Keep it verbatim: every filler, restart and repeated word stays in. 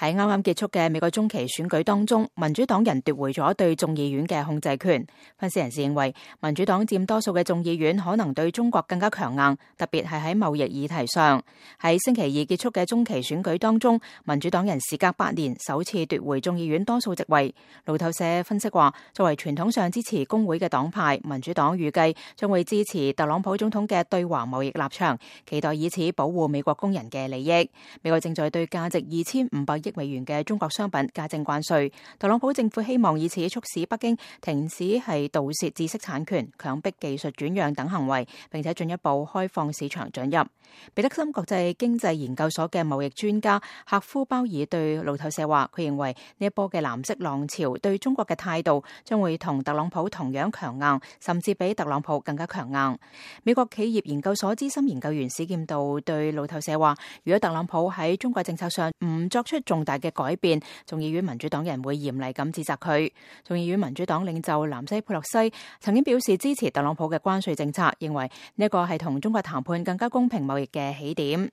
喺啱啱結束嘅美國中期選舉當中，民主黨人奪回咗對眾議院嘅控制權。分析人士認為，民主黨佔多數嘅眾議院可能對中國更加強硬，特別係喺貿易議題上。喺星期二結束嘅中期選舉當中，民主黨人時隔八年首次奪回眾議院多數席位。路透社分析話，作為傳統上支持工會嘅黨派，民主黨預計將會支持特朗普總統嘅對華貿易立場，期待以此保護美國工人嘅利益。美國正在對價值二千五百億美元嘅中國商品加徵關稅，特朗普政府希望以此促使北京停止係盜竊知識產權、強迫技術轉讓等行為，並且進一步開放市場准入。彼得森國際經濟研究所嘅貿易專家赫夫鮑爾對路透社話，佢認為呢一波嘅藍色浪潮對中國嘅態度將會同特朗普同樣強硬，甚至比特朗普更加強硬。美國企業研究所資深研究員史劍道對路透社話，如果特朗普喺中國政策上唔作出重大嘅改變，眾議院民主黨人會嚴厲咁指責佢。眾議院民主黨領袖南西佩洛西曾經表示支持特朗普嘅關稅政策，認為呢一個係同中國談判更加公平貿易嘅起點。